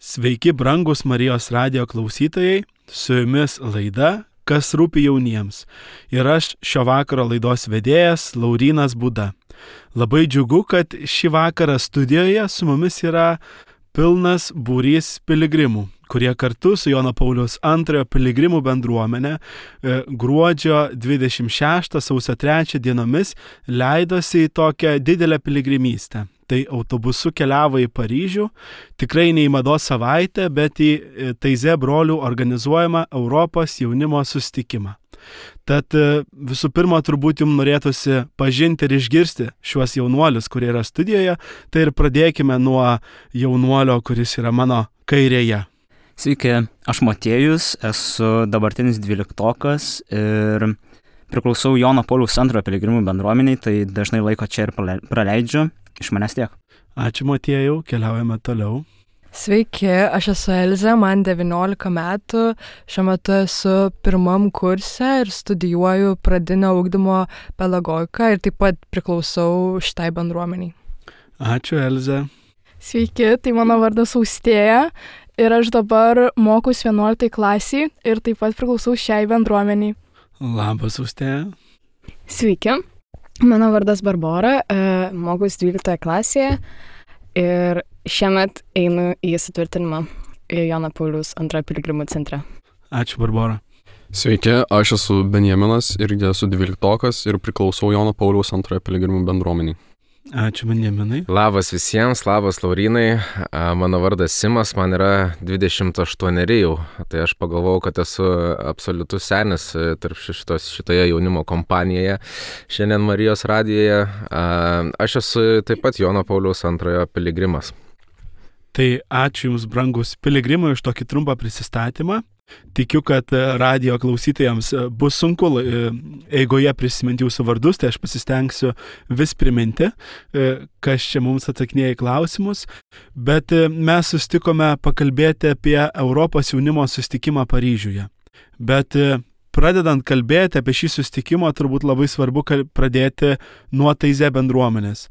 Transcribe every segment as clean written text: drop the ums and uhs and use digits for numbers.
Sveiki, brangus Marijos radijo klausytojai, su jumis laida Kas rūpi jauniems. Ir aš šio vakaro laidos vedėjas Laurynas Būda. Labai džiugu, kad šį vakarą studijoje su mumis yra pilnas būrys piligrimų, kurie kartu su Jono Pauliaus II piligrimų bendruomenė gruodžio 26 sausio 3 dienomis leidosi į tokią didelę piligrimystę. Tai autobusu keliavo į Paryžių, tikrai ne į mados savaitę, bet į Taize brolių organizuojamą Europos jaunimo susitikimą. Tad visų pirma, turbūt jums norėtųsi pažinti ir išgirsti šiuos jaunuolius, kurie yra studijoje, tai ir pradėkime nuo jaunuolio, kuris yra mano kairėje. Sveiki, aš Motiejus, esu dabartinis 12-okas ir priklausau Jono Pauliaus II piligrimų bendruomeniai, tai dažnai laiko čia ir praleidžiu. Iš manęs tiek. Ačiū, Motiejau, keliaujame toliau. Sveiki, aš esu Elzė, man 19 metų, šiuo metu esu pirmam kurse ir studijuoju pradinio ugdymo pedagogiką ir taip pat priklausau šitai bendruomeniai. Ačiū, Elzė. Sveiki, tai mano vardas Austėja ir aš dabar mokus 11 klasiai ir taip pat priklausau šiai bendruomeniai. Labas, Austėja. Sveiki. Mano vardas Barbora, mokus 12 klasėje ir šiemet einu į sutvirtinimą į Jono Pauliaus II piligrimų centre. Ačiū, Barbora. Sveiki, aš esu Benjaminas irgi esu 12-okas ir priklausau Jono Pauliaus II piligrimų bendruomeniai. Ačiū, Benjaminai. Labas visiems, labas Laurynai, mano vardas Simas, man yra 28 jau, tai aš pagalvojau, kad esu absoliutus senis tarp šitoje jaunimo kompanijoje, šiandien Marijos radijoje. Aš esu taip pat Jono Pauliaus II piligrimas. Tai ačiū Jums, brangus piligrimai, už tokį trumpą prisistatymą. Tikiu, kad radijo klausytojams bus sunku eigoje prisiminti jūsų vardus, tai aš pasistengsiu vis priminti, kas čia mums atsakinėja į klausimus. Bet mes sustikome pakalbėti apie Europos jaunimo susitikimą Paryžiuje. Bet pradedant kalbėti apie šį susitikimą, turbūt labai svarbu pradėti nuo Taize bendruomenės.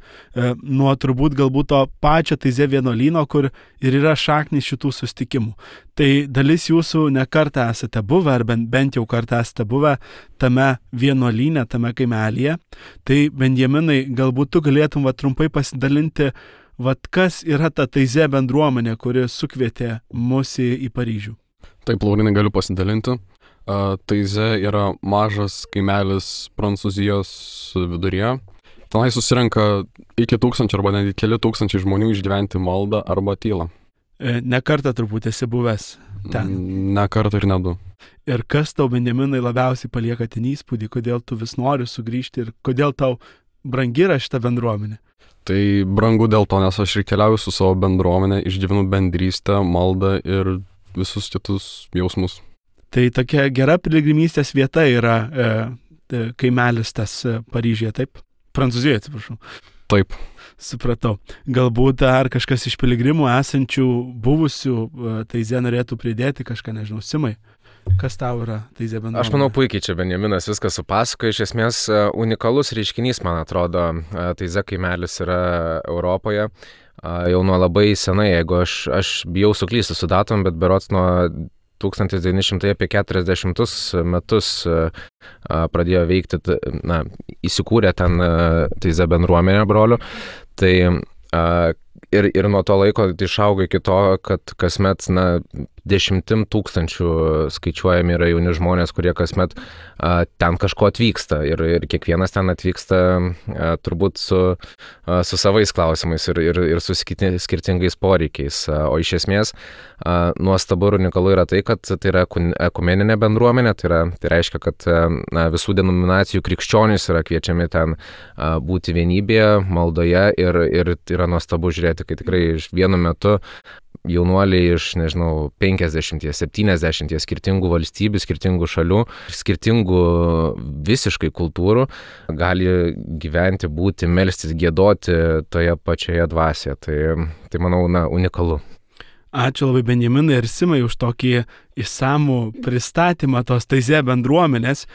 Nuo turbūt galbūt to pačio Taize vienuolyno, kur ir yra šaknys šitų susitikimų. Tai dalis jūsų ne kartą esate buvę, ar bent jau kartą esate buvę tame vienuolyne, tame kaimelyje. Tai Benjaminai, galbūt tu galėtum trumpai pasidalinti, kas yra ta Taize bendruomenė, kuri sukvietė mus į Paryžių. Taip, Laurinai, galiu pasidalinti. Taize yra mažas kaimelis Prancūzijos viduryje. Tenai susirenka iki 1000 arba netgi keli tūkstančiai žmonių išgyventi maldą arba tylą. Ne kartą turbūt esi buvęs ten. Ne kartą ir ne du. Ir kas tau, Benjaminai, labiausiai palieka ten įspūdį, kodėl tu vis nori sugrįžti ir kodėl tau brangi yra šita bendruomenė? Tai brangu dėl to, nes aš ir keliauju su savo bendruomenė, išgyvenu bendrystę, maldą ir visus kitus jausmus. Tai tokia gera piligrimystės vieta yra kaimelis tas Paryžiuje, taip? Prancūzijoje, atsiprašau. Taip. Supratau. Galbūt ar kažkas iš piligrimų esančių buvusių Taize norėtų pridėti kažką, nežinau, Simai? Kas tau yra Taize bendruomenė? Aš manau, puikiai čia Benjaminas viską supasakoja. Iš esmės unikalus reiškinys, man atrodo, Taize kaimelis yra Europoje. Jau nuo labai senai, jeigu aš bijau suklysti su datom, bet berods nuo 1940 metus pradėjo veikti, įsikūrė ten Taize bendruomenė brolių. Tai ir nuo to laiko išaugo iki to, kad kasmet 10 000 skaičiuojami yra jauni žmonės, kurie kasmet ten kažko atvyksta ir kiekvienas ten atvyksta turbūt su savais klausimais ir su skirtingais poreikiais. O iš esmės nuostabu ir unikalu yra tai, kad tai yra ekumeninė bendruomenė, tai reiškia, kad visų denominacijų krikščionys yra kviečiami ten būti vienybėje, maldoje ir yra nuostabu žiūrėti, kai tikrai vienu metu jaunuoliai iš, 50, 70 skirtingų valstybių, skirtingų šalių, skirtingų visiškai kultūrų gali gyventi, būti, melstis, giedoti toje pačioje dvasioje. Tai manau, unikalu. Ačiū labai Benjaminai ir Simai už tokį išsamų pristatymą tos Taize bendruomenės.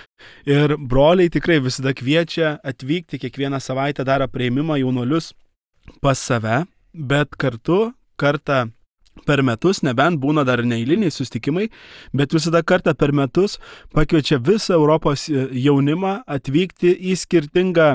Ir broliai tikrai visada kviečia atvykti, kiekvieną savaitę daro priėmimą jaunuolius pas save, bet kartą per metus, nebent būna dar neeiliniai susitikimai, bet visada kartą per metus pakviečia visą Europos jaunimą atvykti į skirtingą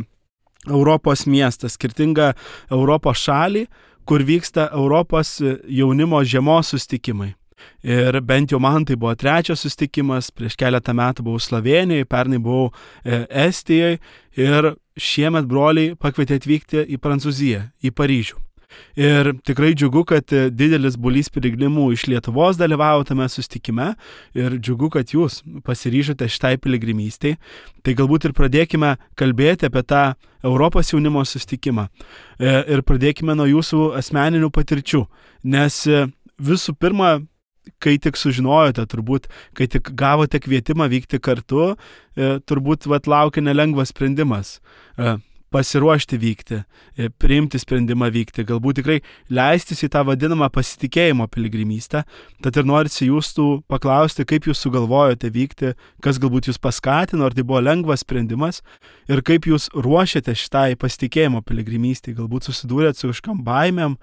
Europos miestą, skirtingą Europos šalį, kur vyksta Europos jaunimo žiemos susitikimai. Ir bent jau man tai buvo 3 susitikimas, prieš keletą metų buvau Slovėnijoje, pernai buvau Estijoje ir šiemet broliai pakvietė atvykti į Prancūziją, į Paryžių. Ir tikrai džiugu, kad didelis būrys piligrimų iš Lietuvos dalyvavo tame susitikime ir džiugu, kad jūs pasiryžote šitai piligrimystei. Tai galbūt ir pradėkime kalbėti apie tą Europos jaunimo susitikimą ir pradėkime nuo jūsų asmeninių patirčių, nes visų pirma, kai tik sužinojote, turbūt, kai tik gavote kvietimą vykti kartu, turbūt laukia nelengvas sprendimas. Pasiruošti vykti, priimti sprendimą vykti, galbūt tikrai leistis į tą vadinamą pasitikėjimo piligrimystę. Tad ir norisi jūsų paklausti, kaip jūs sugalvojote vykti, kas galbūt jūs paskatino, ar tai buvo lengvas sprendimas ir kaip jūs ruošiate šitai pasitikėjimo piligrimystei. Galbūt susidūrėt su kažkam baimėm,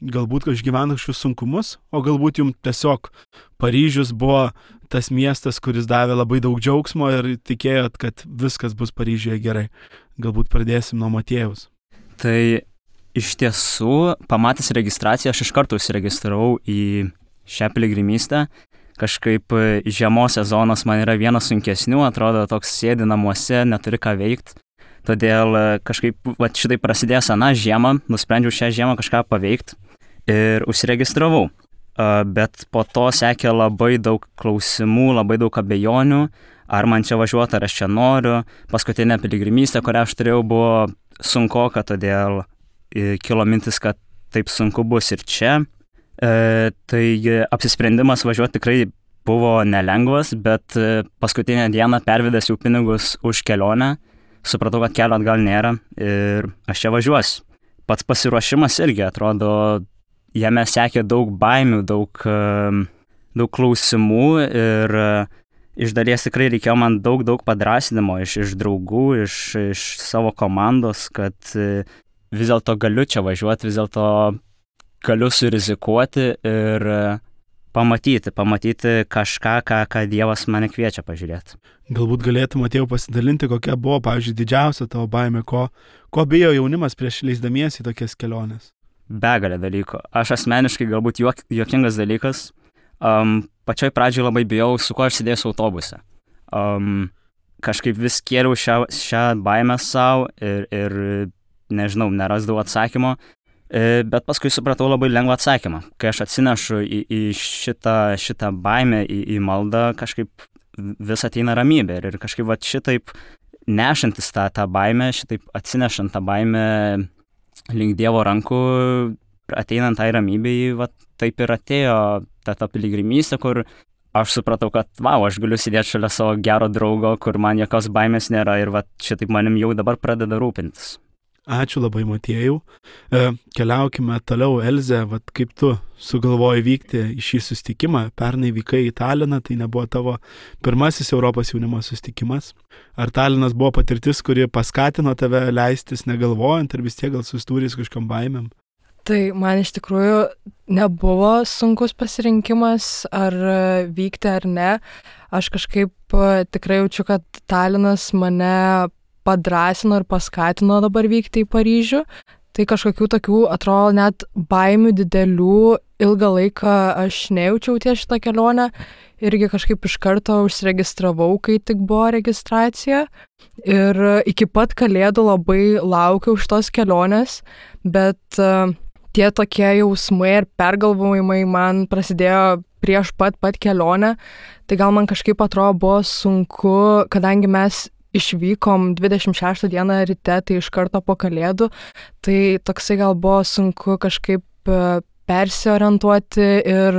galbūt išgyvenat kažkokius sunkumus, o galbūt jums tiesiog Paryžius buvo tas miestas, kuris davė labai daug džiaugsmo ir tikėjot, kad viskas bus Paryžiuje gerai. Galbūt pradėsim nuo Matiejaus. Tai iš tiesų, pamatęs registraciją, aš iš karto užsiregistravau į šią piligrimystę. Kažkaip žiemos sezonas man yra vienas sunkesnių, atrodo toks sėdi namuose, neturi ką veikti. Todėl kažkaip šitai prasidėjo seną žiemą, nusprendžiau šią žiemą kažką paveikti ir užsiregistravau. Bet po to sekė labai daug klausimų, labai daug abejonių, ar man čia važiuoti, ar aš čia noriu. Paskutinė piligrimystė, kurią aš turėjau, buvo sunkoka, todėl kilo mintis, kad taip sunku bus ir čia. Tai apsisprendimas važiuoti tikrai buvo nelengvas, bet paskutinę dieną pervedęs jau pinigus už kelionę, supratau, kad kelio atgal nėra ir aš čia važiuosiu. Pats pasiruošimas irgi atrodo, jame sekė daug baimių, daug klausimų ir iš dalies tikrai reikėjo man daug padrąsinimo iš draugų, iš savo komandos, kad vis dėlto galiu čia važiuoti, vis dėlto galiu surizikuoti ir pamatyti kažką, ką Dievas mane kviečia pažiūrėti. Galbūt galėtum, Matėjau, pasidalinti, kokia buvo, pavyzdžiui, didžiausia tavo baimė, ko bijo jaunimas prieš leisdamiesi į tokias keliones? Begalė dalykų. Aš asmeniškai galbūt juokingas dalykas. Pačioj pradžioj labai bijau, su kuo aš sėdėsiu autobuse. Kažkaip vis kėliau šią baimę savo ir nežinau, nerasdavau atsakymo. Bet paskui supratau labai lengvą atsakymą. Kai aš atsinešu į šitą baimę, į maldą, kažkaip vis ateina ramybė. Ir kažkaip šitaip nešantis tą baimę, šitaip atsinešant tą baimę link Dievo rankų, ateinant tai ramybei, taip ir atėjo ta piligrimystė, kur aš supratau, kad aš galiu sėdėti šalia savo gero draugo, kur man jokios baimės nėra ir šitaip manim jau dabar pradeda rūpintis. Ačiū labai, Matėjau. Keliaukime toliau, Elze, kaip tu sugalvojai vykti į šį susitikimą. Pernai vykai į Taliną, tai nebuvo tavo pirmasis Europos jaunimo susitikimas. Ar Talinas buvo patirtis, kuri paskatino tave leistis negalvojant, ar vis tiek gal susidūrei su kažkam baimėm? Tai man iš tikrųjų nebuvo sunkus pasirinkimas, ar vykti ar ne. Aš kažkaip tikrai jaučiu, kad Talinas mane padrąsino ir paskatino dabar vykti į Paryžių. Tai kažkokių tokių, atrodo, net baimių didelių ilgą laiką aš nejaučiau ties šitą kelionę. Irgi kažkaip iš karto užsiregistravau, kai tik buvo registracija. Ir iki pat Kalėdų labai laukiau šitos kelionės, bet tie tokie jausmai ir pergalvojimai man prasidėjo prieš pat kelionę. Tai gal man kažkaip atrodo buvo sunku, kadangi mes išvykom 26 dieną ryte, tai iš karto po Kalėdų, tai toksai gal buvo sunku kažkaip persiorientuoti ir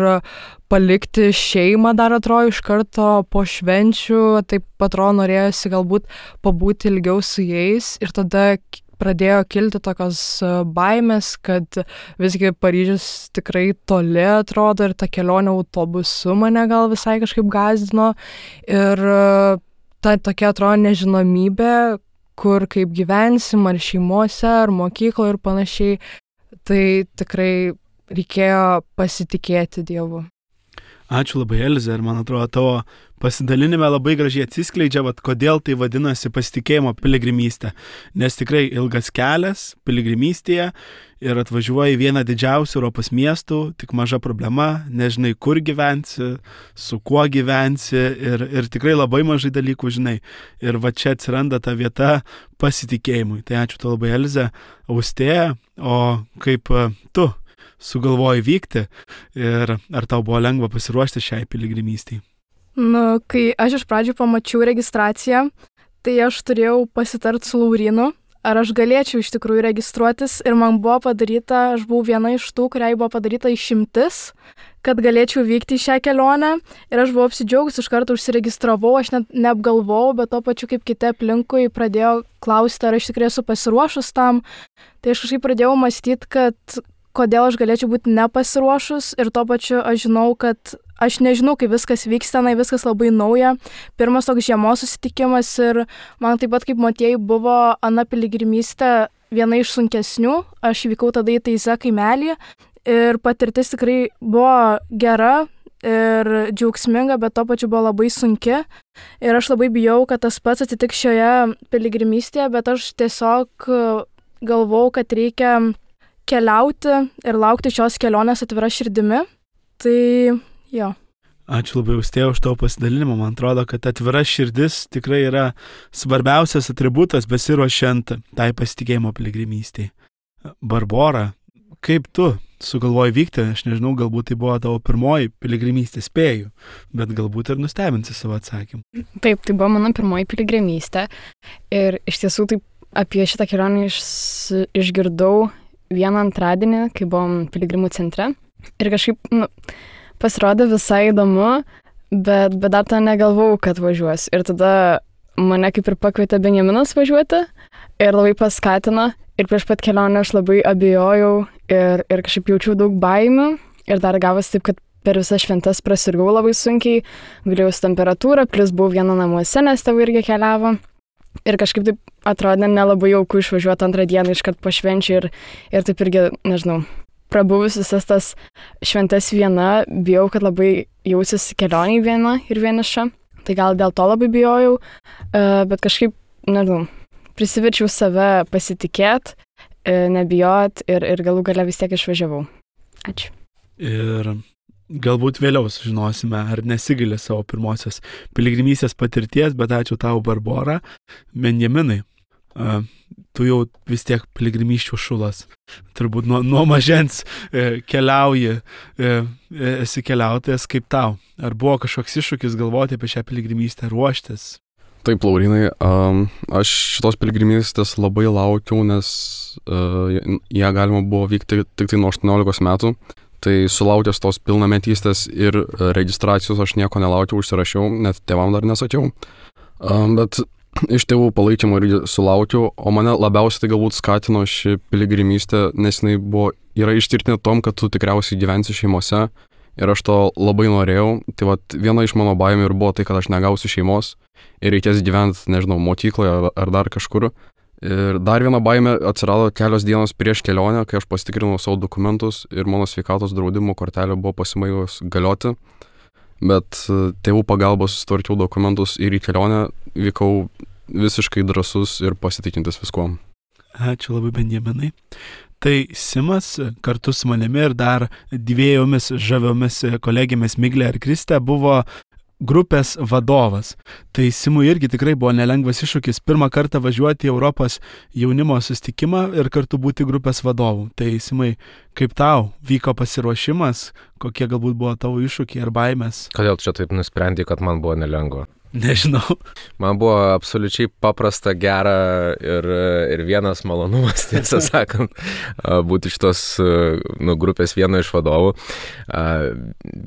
palikti šeimą dar atrodo iš karto po švenčių, taip atrodo norėjosi galbūt pabūti ilgiau su jais ir tada pradėjo kilti tokios baimės, kad visgi Paryžius tikrai toli atrodo ir ta kelionė autobusu mane gal visai kažkaip gąsdino ir ta tokia atrodo nežinomybė, kur kaip gyvensim, ar šeimose, ar mokykloje ir panašiai. Tai tikrai reikėjo pasitikėti Dievu. Ačiū labai, Elze, ir man atrodo, tavo pasidalinime labai gražiai atsiskleidžia, kodėl tai vadinasi pasitikėjimo piligrimystė. Nes tikrai ilgas kelias piligrimystėje ir atvažiuoji vieną didžiausių Europos miestų, tik maža problema, nežinai, kur gyvensi, su kuo gyvensi ir tikrai labai mažai dalykų žinai. Ir va čia atsiranda ta vieta pasitikėjimui. Tai ačiū tau labai, Elze. Austėja, o kaip tu sugalvojai vykti ir ar tau buvo lengva pasiruošti šiai piligrimystei? Kai aš iš pradžių pamačiau registraciją, tai aš turėjau pasitart su Laurynu, ar aš galėčiau iš tikrųjų registruotis ir man buvo padaryta, aš buvau viena iš tų, kuriai buvo padaryta išimtis, kad galėčiau vykti į šią kelionę ir aš buvau apsidžiaugus, iš karto užsiregistravau, aš net neapgalvojau, bet to pačiu kaip kiti aplinkui pradėjo klausti, ar aš tikrai esu pasiruošus tam, tai aš kažkaip pradėjau mąstyti, kad kodėl aš galėčiau būti nepasiruošus ir tuo pačiu aš žinau, kad aš nežinau, kaip viskas vyks tenai, viskas labai nauja. Pirmas toks žiemos susitikimas ir man taip pat kaip Motiejui buvo ana piligrimystė viena iš sunkesnių. Aš vykau tada į Teize kaimelį ir patirtis tikrai buvo gera ir džiaugsminga, bet tuo pačiu buvo labai sunki. Ir aš labai bijau, kad tas pats atsitiks šioje piligrimystėje, bet aš tiesiog galvau, kad reikia keliauti ir laukti šios kelionės atvira širdimi. Tai jo. Ačiū labai, Austėja, už tavo pasidalinimą. Man atrodo, kad atvira širdis tikrai yra svarbiausias atributas besiruošiant tai pasitikėjimo piligrimystei. Barbora, kaip tu sugalvojai vykti? Aš nežinau, galbūt tai buvo tavo pirmoji piligrimystė, spėju, bet galbūt ir nustebinsi savo atsakymą. Taip, tai buvo mano pirmoji piligrimystė ir iš tiesų taip apie šitą kelionę išgirdau vieną antradienį, kai buvom piligrimų centre. Ir kažkaip pasirodė visai įdomu, bet dar tą negalvojau, kad važiuos. Ir tada mane kaip ir pakvietė Benjaminas važiuoti ir labai paskatino. Ir prieš pat kelionę aš labai abejojau ir kažkaip jaučiau daug baimių. Ir dar gavosi taip, kad per visas šventas prasirgau labai sunkiai, gulėjau su temperatūra, plus buvau viena namuose, nes tėvai irgi keliavo. Ir kažkaip taip atrodė nelabai jauku išvažiuoti antrą dieną iškart po švenčių ir taip irgi, nežinau, prabuvus visas tas šventas viena, bijau, kad labai jausiuosi kelionėj viena ir vieniša. Tai gal dėl to labai bijojau, bet kažkaip, nežinau, prisiverčiau save pasitikėti, nebijot ir galų gale vis tiek išvažiavau. Ačiū. Ir galbūt vėliau sužinosime, ar nesigaili savo pirmosios piligrimystės patirties, bet ačiū tau, Barbora. Benjaminai, tu jau vis tiek piligrimysčių šulas. Turbūt nuo mažens keliauji, esi keliautojas kaip tau. Ar buvo kažkoks iššūkis galvoti apie šią piligrimystę, ruoštis? Taip, Laurinai, aš šitos piligrimystės labai laukiau, nes ją galima buvo vykti tik tai nuo 18 metų. Tai sulaukęs tos pilnametystės ir registracijos aš nieko nelaukiau, užsirašiau, net tėvam dar nesakiau. Bet iš tėvų palaikymo irgi sulaukiau, o mane labiausiai tai galbūt skatino ši piligrimystė, nes jinai yra ištirtinė tom, kad tu tikriausiai gyvensi šeimose ir aš to labai norėjau. Tai viena iš mano baimių ir buvo tai, kad aš negausiu šeimos ir reikės gyventi, nežinau, mokykloje ar dar kažkur. Ir dar viena baimė atsirado kelios dienos prieš kelionę, kai aš pasitikrinau savo dokumentus ir mano sveikatos draudimo kortelė buvo pasibaigus galioti. Bet tėvų pagalbos susitvarkiau dokumentus ir į kelionę vykau visiškai drąsus ir pasitikintis viskuom. Ačiū labai, Benjaminai. Tai Simas kartu su manimi ir dar dviejomis žaviomis kolegėmis Miglė ir Kristė buvo grupės vadovas. Tai Simui irgi tikrai buvo nelengvas iššūkis pirmą kartą važiuoti į Europos jaunimo susitikimą ir kartu būti grupės vadovu. Tai Simai, kaip tau vyko pasiruošimas, kokie galbūt buvo tavo iššūkiai ar baimės? Kodėl čia taip nusprendė, kad man buvo nelengva? Nežinau. Man buvo absoliučiai paprasta, gera ir vienas malonumas, tiesą sakant, būti šitos grupės vieno iš vadovų.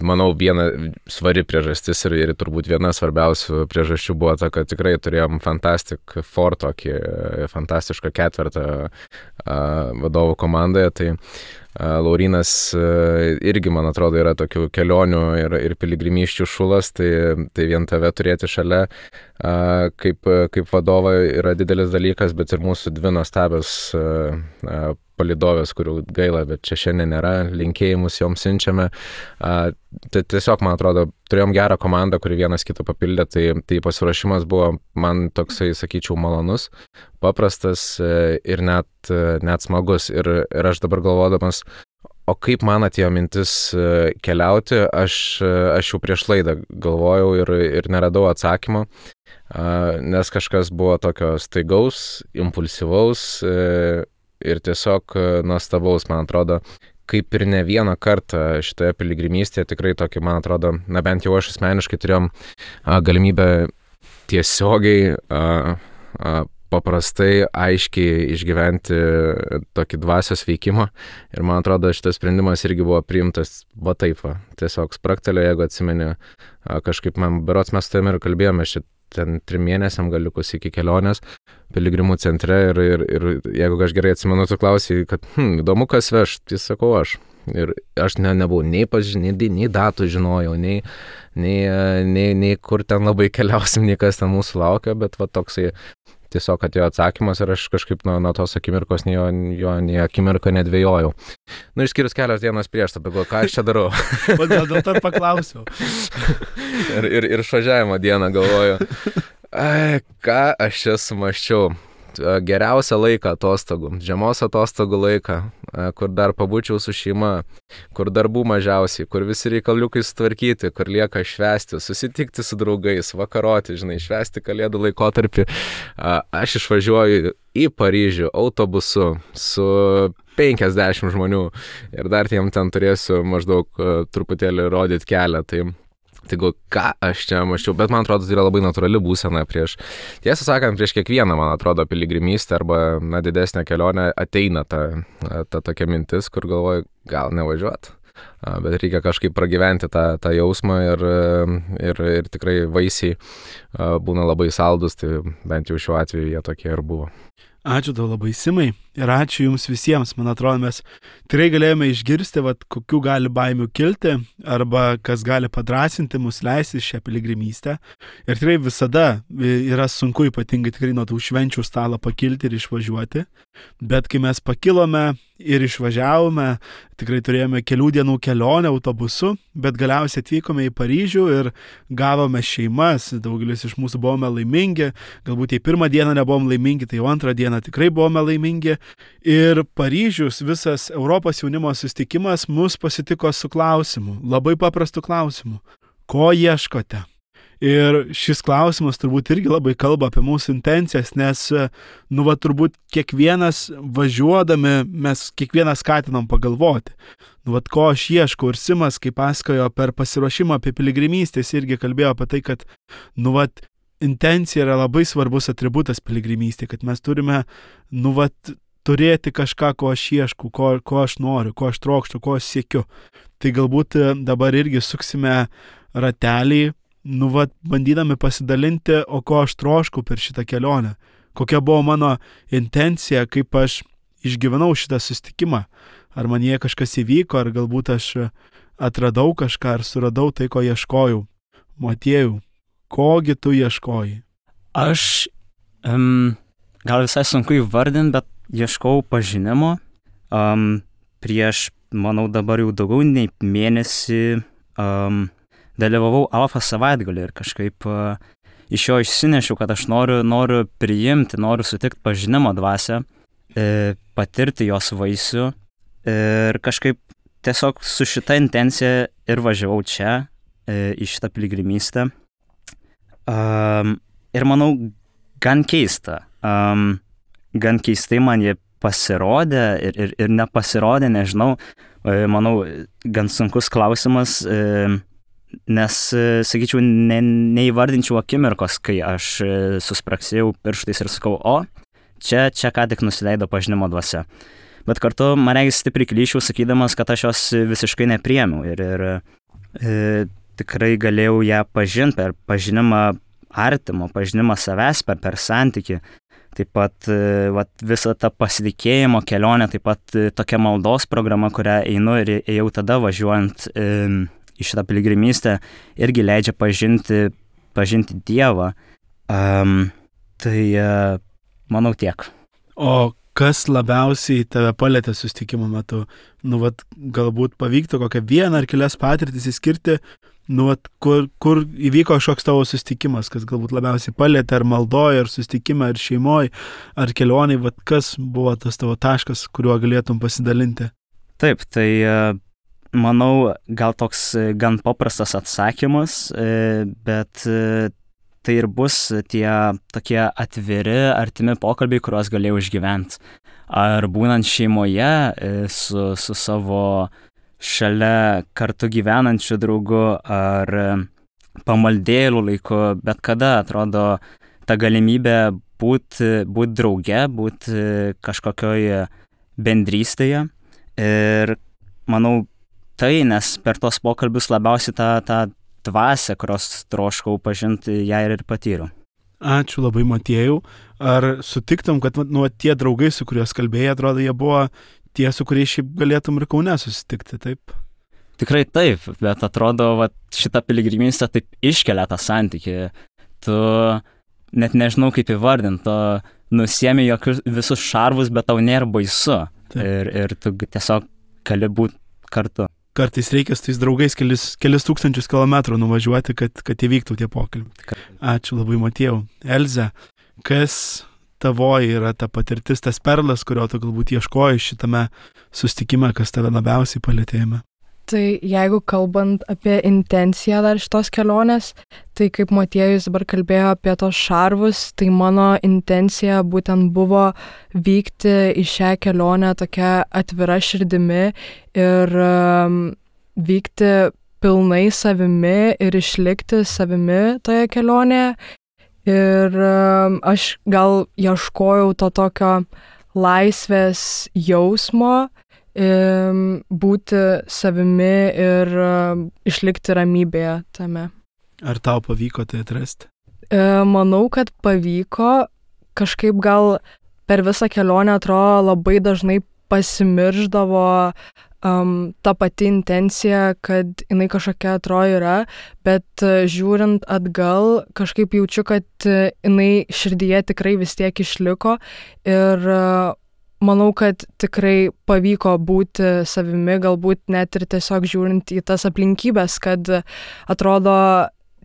Manau, viena svari priežastis ir turbūt viena svarbiausių priežasčių buvo ta, kad tikrai turėjom Fantastic Four, tokį fantastišką ketvertą vadovų komandoje. Tai Laurynas irgi, man atrodo, yra tokių kelionių ir piligrimysčių šulas, tai vien tave turėti šalia kaip vadovą yra didelis dalykas, bet ir mūsų dvi nuostabios palydovės, kurių gaila, bet čia šiandien nėra, linkėjimus joms siunčiame. Tai tiesiog, man atrodo, turėjom gerą komandą, kuri vienas kitą papildė, tai pasiruošimas buvo man toksai, sakyčiau, malonus, paprastas ir net smagus. Ir aš dabar galvodamas, o kaip man atėjo mintis keliauti, aš jau prieš laidą galvojau ir neradau atsakymo, nes kažkas buvo tokio staigaus, impulsyvaus ir tiesiog nuostabaus, man atrodo, kaip ir ne vieną kartą šitoje piligrimystėje, tikrai tokį, man atrodo, bent jau aš asmeniškai turėjom galimybę tiesiogiai paprastai, aiškiai išgyventi tokį dvasios veikimą. Ir man atrodo, šitas sprendimas irgi buvo priimtas va taip va. Tiesiog spraktelio, jeigu atsimeni, kažkaip man berods mes tavimi ir kalbėjome, ten 3 mėnesiam galiukus iki kelionės piligrimų centre ir jeigu aš gerai atsimenu, tu klausai, kad įdomu, kas veš, tai sakau aš. Ir aš nebuvau nei datų žinojau, nei kur ten labai keliausim, nei kas ten mūsų laukia, bet va toksai tiesiog atėjo atsakymas ir aš kažkaip nuo tos akimirkos nei akimirką nedvėjojau. Išskyrus kelias dienas prieš, tada galvoju, ką aš čia darau. Dėl to ir paklausiau. ir išvažiavimo dieną galvoju, ką aš čia sumaščiau. Geriausią laiką atostogų, žiemos atostogų laiką, kur dar pabūčiau su šeima, kur darbų mažiausiai, kur visi reikaliukai sutvarkyti, kur lieka švęsti, susitikti su draugais, vakaroti, švęsti kalėdų laikotarpį. Aš išvažiuoju į Paryžių autobusu su 50 žmonių ir dar tiem ten turėsiu maždaug truputėlį rodyti kelią. Tai ką aš čia maščiau, bet man atrodo, tai yra labai natūrali būsena tiesą sakant, prieš kiekvieną, man atrodo, piligrimystę arba didesnę kelionę ateina ta tokia mintis, kur galvoju, gal nevažiuot, bet reikia kažkaip pragyventi tą jausmą ir tikrai vaisiai būna labai saldus, tai bent jau šiuo atveju jie tokie ir buvo. Ačiū tau labai, Simai, ir ačiū jums visiems. Man atrodo, mes tikrai galėjome išgirsti, kokių gali baimių kilti, arba kas gali padrasinti mus leisti šią piligrimystę. Ir tikrai visada yra sunku, ypatingai tikrai nuo tų švenčių stalo pakilti ir išvažiuoti. Bet kai mes pakilome ir išvažiavome, tikrai turėjome kelių dienų kelionę autobusu, bet galiausiai atvykome į Paryžių ir gavome šeimas. Daugelis iš mūsų buvome laimingi, galbūt jei pirmą dieną nebuvom laimingi, tai jau antrą dieną tikrai buvome laimingi. Ir Paryžius, visas Europos jaunimo susitikimas mus pasitiko su klausimu, labai paprastu klausimu. Ko ieškote? Ir šis klausimas turbūt irgi labai kalba apie mūsų intencijas, nes, turbūt kiekvienas važiuodami, mes kiekvienas skatinam pagalvoti. Ko aš ieškau. Ir Simas, kaip pasakojo per pasiruošimą apie piligrimystės, irgi kalbėjo apie tai, kad, intencija yra labai svarbus atributas piligrimystė, kad mes turime, turėti kažką, ko aš ieškau, ko aš noriu, ko aš trokštu, ko aš siekiu. Tai galbūt dabar irgi suksime ratelį, bandydami pasidalinti, o ko aš troškau per šitą kelionę. Kokia buvo mano intencija, kaip aš išgyvenau šitą susitikimą. Ar man jie kažkas įvyko, ar galbūt aš atradau kažką, ar suradau tai, ko ieškojau. Motiejau, kogi tu ieškojai? Aš gal visai sunku įvardinti, bet ieškau pažinimo. Prieš, manau, dabar jau daugiau nei mėnesį dalyvavau Alfa savaitgalį ir kažkaip iš jo išsinešiau, kad aš noriu priimti, noriu sutikti pažinimo dvasią, patirti jos vaisių ir kažkaip tiesiog su šita intencija ir važiavau čia į šitą piligrimystę. Ir manau, gan keista. Gan keistai man jie pasirodė ir nepasirodė, nežinau. Manau, gan sunkus klausimas, nes, sakyčiau, neįvardinčiau akimirkos, kai aš suspraksėjau pirštais ir sakau, čia ką tik nusileido pažinimo dvasia. Bet kartu man regis stipriai klyščiau, sakydamas, kad aš jos visiškai nepriėmiau ir tikrai galėjau ją pažinti per pažinimą artimo, pažinimą savęs per santykį. Taip pat visą tą pasitikėjimo kelionę, taip pat tokia maldos programa, kurią einu ir ėjau tada važiuojant į šitą piligrimystę, irgi leidžia pažinti Dievą. Tai manau tiek. O Kas labiausiai tave palėtė susitikimo metu? Galbūt pavyktų kokią vieną ar kelias patirtis įskirti, kur įvyko kažkoks tavo susitikimas, kas galbūt labiausiai palėtė, ar maldoje, ar susitikime, ar šeimoje, ar kelionėje, kas buvo tas tavo taškas, kuriuo galėtum pasidalinti? Taip, tai manau, gal toks gan paprastas atsakymas, bet tai ir bus tie tokie atviri, artimi pokalbiai, kuriuos galėjau išgyventi. Ar būnant šeimoje su savo šalia kartu gyvenančiu draugu, ar pamaldėlių laiku, bet kada atrodo ta galimybė būti drauge, būti kažkokioje bendrystėje. Ir manau, nes per tos pokalbius labiausiai tą dvasią, kurios troškau pažinti, ją ir patyriau. Ačiū labai, Motiejau. Ar sutiktum, kad tie draugai, su kuriuos kalbėjai, atrodo, jie buvo tie, su kuriais šiaip galėtum ir Kaune susitikti, taip? Tikrai taip, bet atrodo, šita piligrimystė taip iškelia tą santykį. Tu net nežinau, kaip įvardinti, tu nusiemi visus šarvus, bet tau nėra baisu. Ir tu tiesiog gali būti kartu. Kartais reikia su tais draugais kelis tūkstančius kilometrų nuvažiuoti, kad įvyktų tie pokalbiai. Ačiū labai, Motiejau. Elze, kas tavoji yra ta patirtis, tas perlas, kurio tu galbūt ieškoji šitame susitikime, kas tave labiausiai palėtėjame? Tai jeigu kalbant apie intenciją dar šitos kelionės, tai kaip Motiejus dabar kalbėjo apie tos šarvus, tai mano intencija būtent buvo vykti į šią kelionę tokia atvira širdimi ir vykti pilnai savimi ir išlikti savimi toje kelionėje. Ir aš gal ieškojau to tokio laisvės jausmo, būti savimi ir išlikti ramybėje tame. Ar tau pavyko tai atrasti? Manau, kad pavyko. Kažkaip gal per visą kelionę atrodo labai dažnai pasimirždavo ta pati intencija, kad jinai kažkokia atrodo yra, bet žiūrint atgal, kažkaip jaučiu, kad jinai širdyje tikrai vis tiek išliko ir manau, kad tikrai pavyko būti savimi, galbūt net ir tiesiog žiūrint į tas aplinkybės, kad atrodo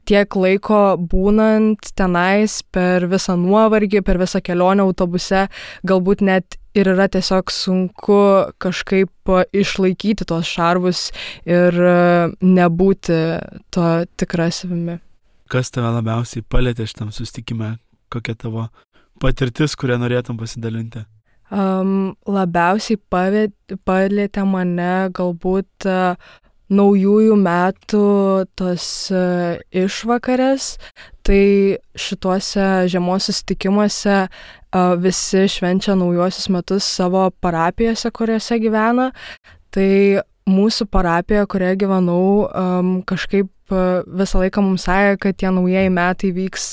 tiek laiko būnant tenais per visą nuovargį, per visą kelionę autobuse, galbūt net ir yra tiesiog sunku kažkaip išlaikyti tos šarvus ir nebūti to tikra savimi. Kas tave labiausiai palėtė šitam susitikime? Kokia tavo patirtis, kurią norėtum pasidalinti? Labiausiai palėtė mane galbūt naujųjų metų tos išvakarės, tai šituose žiemos susitikimuose visi švenčia naujuosius metus savo parapijose, kuriuose gyvena. Tai mūsų parapija, kurioje gyvenau, kažkaip visą laiką mums sakė, kad tie naujieji metai vyks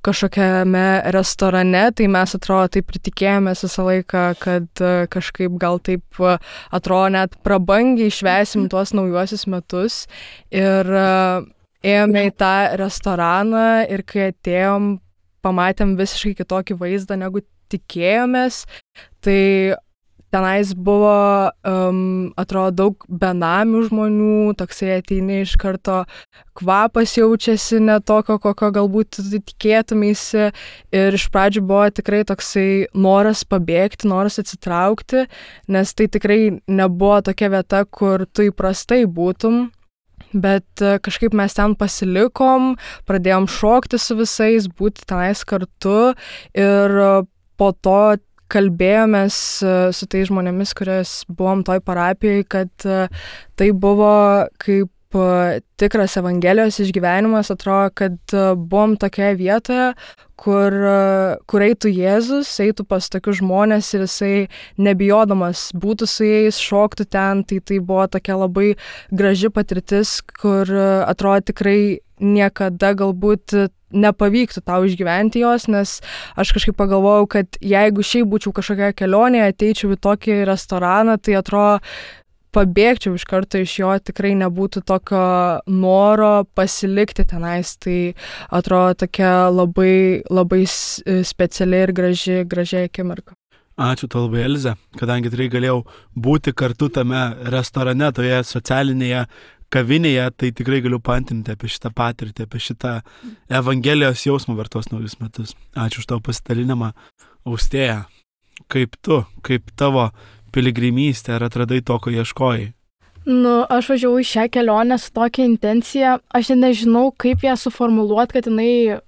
kažkokiame restorane, tai mes atrodo taip ir tikėjomės visą laiką, kad kažkaip gal taip atrodo net prabangiai švęsim tuos naujuosius metus. Ir ėjome į tą restoraną ir kai atėjom, pamatėm visiškai kitokį vaizdą, negu tikėjomės. Tai tenais buvo, atrodo, daug benamių žmonių, toksai ateini iš karto, kvapas jaučiasi ne tokio, kokio galbūt tikėtumėsi. Ir iš pradžių buvo tikrai toksai noras pabėgti, noras atsitraukti, nes tai tikrai nebuvo tokia vieta, kur tu įprastai būtum. Bet kažkaip mes ten pasilikom, pradėjom šokti su visais, būti tenais kartu ir po to kalbėjomės su tais žmonėmis, kuriais buvom toj parapijoj, kad tai buvo kaip tikras Evangelijos išgyvenimas. Atrodo, kad buvom tokioje vietoje, kur eitų Jėzus, eitų pas tokius žmonės ir jisai nebijodamas būtų su jais, šoktų ten. Tai buvo tokia labai graži patirtis, kur atrodo tikrai niekada galbūt nepavyktų tau išgyventi jos, nes aš kažkaip pagalvojau, kad jeigu šiaip būčiau kažkokia kelionė, ateičiau į tokį restoraną, tai atrodo pabėgčiau iš karto iš jo, tikrai nebūtų tokio noro pasilikti tenais. Tai atrodo tokia labai, labai speciali ir graži akimirka. Ačiū tau labai, Elze, kadangi tikrai galėjau būti kartu tame restorane, toje socialinėje kavinėje, tai tikrai galiu paantinti apie šitą patirtį, apie šitą Evangelijos jausmą per tuos naujus metus. Ačiū už tavo pasidalinimą. Austėja, kaip tavo piligrimystė, ar atradai to, ko ieškojai? Aš važiavau į šią kelionę su tokia intencija, aš nežinau, kaip ją suformuluoti, kad jinai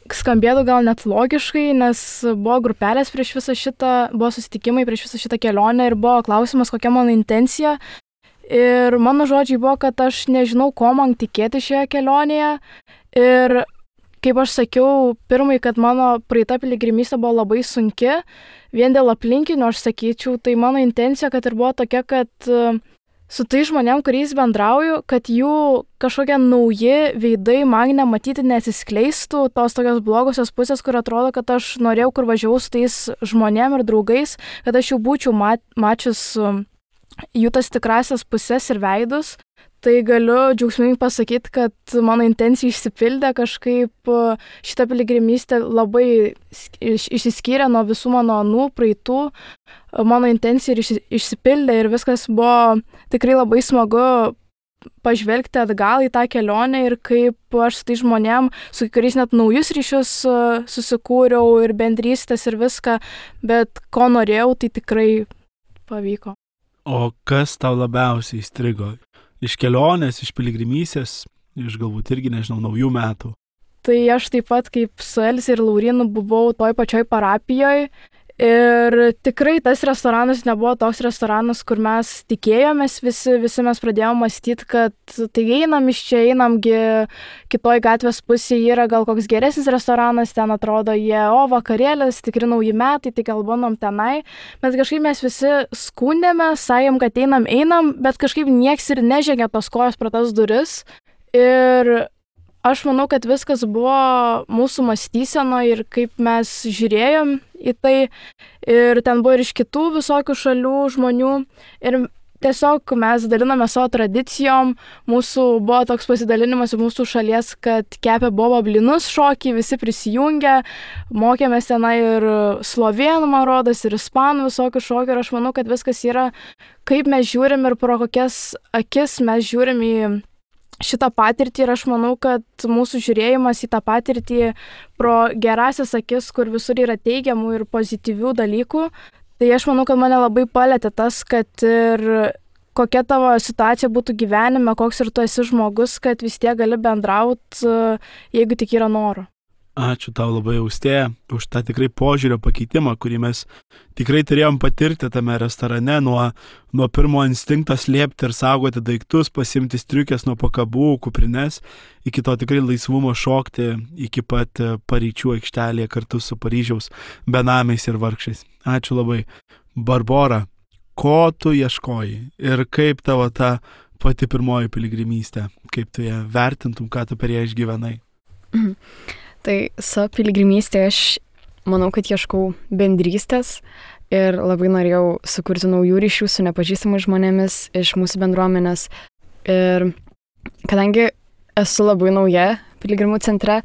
skambėtų gal net logiškai, nes buvo grupelės prieš visą šitą, buvo susitikimai prieš visą šitą kelionę ir buvo klausimas, kokia mano intencija. Ir mano žodžiai buvo, kad aš nežinau, ko man tikėti šioje kelionėje. Ir kaip aš sakiau, pirmai, kad mano praeita piligrimystė buvo labai sunki, vien dėl aplinkinių aš sakyčiau, tai mano intencija, kad ir buvo tokia, kad su tai žmonėm, kuriais bendrauju, kad jų kažkokie nauji veidai man nematyti neatsiskleistų, tos tokios blogosios pusės, kur atrodo, kad aš norėjau, kur važiavau su tais žmonėm ir draugais, kad aš jau būčiau mačius jų tas tikrasias pusės ir veidus. Tai galiu džiaugsmingai pasakyti, kad mano intencija išsipildė, kažkaip šitą piligrimystę labai išsiskyrė nuo visų mano praeitų. Mano intencija išsipildė ir viskas buvo tikrai labai smagu pažvelgti atgal į tą kelionę ir kaip aš su tai žmonėm, su kuriais net naujus ryšius susikūriau ir bendrystės ir viską, bet ko norėjau, tai tikrai pavyko. O kas tau labiausiai įstrigo? Iš kelionės, iš piligrimystės, iš galbūt irgi, nežinau, naujų metų? Tai aš taip pat kaip su Elze ir Laurinu buvau toj pačioj parapijoje ir tikrai tas restoranas nebuvo toks restoranas, kur mes tikėjomės, visi mes pradėjome mąstyti, kad tai einam iš čia, einamgi kitoj gatvės pusėje yra gal koks geresnis restoranas, ten atrodo vakarėlis, tikri nauji metai, tai gal bandom tenai, bet kažkaip mes visi skundėme, sakėm, kad einam, bet kažkaip nieks ir nežengė tos kojos pro tas duris ir aš manau, kad viskas buvo mūsų mąstysenoje ir kaip mes žiūrėjom į tai. Ir ten buvo ir iš kitų visokių šalių žmonių. Ir tiesiog mes daliname savo tradicijom. Mūsų buvo toks pasidalinimas į mūsų šalies, kad kepė boba blinus šokį, visi prisijungė. Mokėmės tenai ir slovėnų, man rodos, ir ispanų visokių šokių. Ir aš manau, kad viskas yra, kaip mes žiūrim ir pro kokias akis mes žiūrim į šitą patirtį ir aš manau, kad mūsų žiūrėjimas į tą patirtį pro gerasias akis, kur visur yra teigiamų ir pozityvių dalykų, tai aš manau, kad mane labai palėtė tas, kad ir kokia tavo situacija būtų gyvenime, koks ir tu esi žmogus, kad vis tiek gali bendrauti, jeigu tik yra noro. Ačiū tau labai, Austėja, už tą tikrai požiūrio pakeitimą, kurį mes tikrai turėjom patirti tame restorane, nuo pirmo instinkto slėpti ir saugoti daiktus, pasimti striukės nuo pakabų, kuprines, iki to tikrai laisvumo šokti iki pat paryčių aikštelėje kartu su Paryžiaus benamiais ir vargšais. Ačiū labai. Barbora, ko tu ieškoji ir kaip tavo ta pati pirmoji piligrimystė, kaip tu ją vertintum, ką tu per ją išgyvenai? Tai savo piligrimystėje aš manau, kad ieškau bendrystės ir labai norėjau sukurti naujų ryšių su nepažįstamais žmonėmis iš mūsų bendruomenės. Ir kadangi esu labai nauja piligrimų centre,